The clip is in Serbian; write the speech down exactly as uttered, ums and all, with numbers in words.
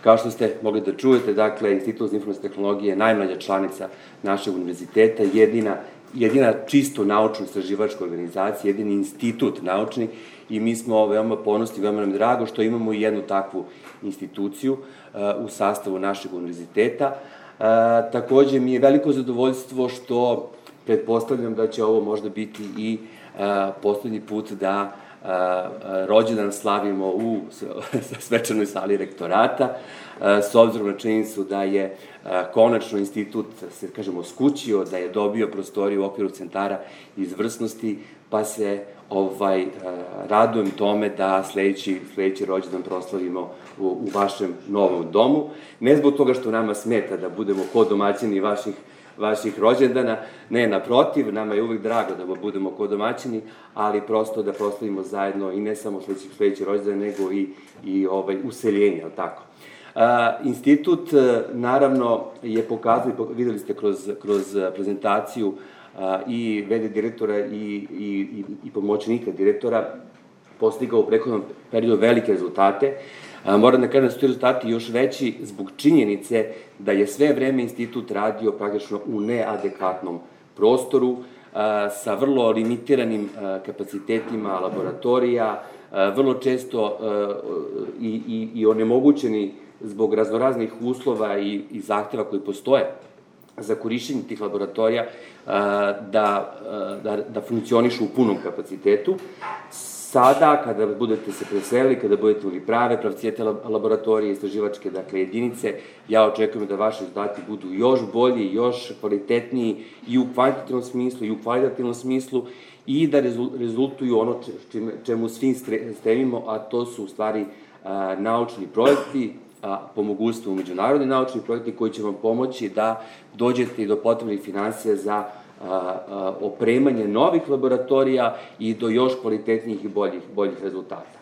Kao što ste mogli da čujete, dakle, Institut za informacione tehnologije je najmlađa članica našeg univerziteta, jedina, jedina čisto naučno-istraživačka organizacija, jedini institut naučni i mi smo veoma ponosni, veoma nam drago što imamo i jednu takvu instituciju u sastavu našeg univerziteta. Takođe mi je veliko zadovoljstvo što pretpostavljam da će ovo možda biti i poslednji put da rođendan slavimo u svečanoj sali rektorata, s obzirom na činjenicu da je konačno institut, se kažemo, skućio, da je dobio prostoriju u okviru centara izvrsnosti, pa se radujem tome da sledeći rođendan proslavimo u vašem novom domu. Ne zbog toga što nama smeta da budemo ko domaćini vaših vaših rođendana, ne, naprotiv, nama je uvek drago da budemo ko domaćini, ali prosto da proslavimo zajedno i ne samo sledeći rođendan, nego i useljenje, ali tako. Institut, naravno, je pokazao, videli ste kroz prezentaciju i ve de direktora i pomoćnika direktora, postigao u prethodnom periodu velike rezultate. Moram da kažem da su ti rezultati još veći zbog činjenice da je sve vreme institut radio praktično u neadekvatnom prostoru, sa vrlo limitiranim kapacitetima laboratorija, vrlo često i onemogućeni zbog raznoraznih uslova i zahteva koji postoje za korišćenje tih laboratorija da funkcionišu u punom kapacitetu. Sada, kada budete se preselili, kada budete imali prave pravcijete laboratorije, istraživačke jedinice, ja očekujem da vaši rezultati budu još bolji, još kvalitetniji i u kvantitativnom smislu i u kvalitativnom smislu i da rezultuju ono čemu svi stremimo, a to su u stvari naučni projekti, po mogućstvu međunarodni naučni projekti koji će vam pomoći da dođete i do potrebnih finansija za opremanje novih laboratorija i do još kvalitetnijih i boljih rezultata.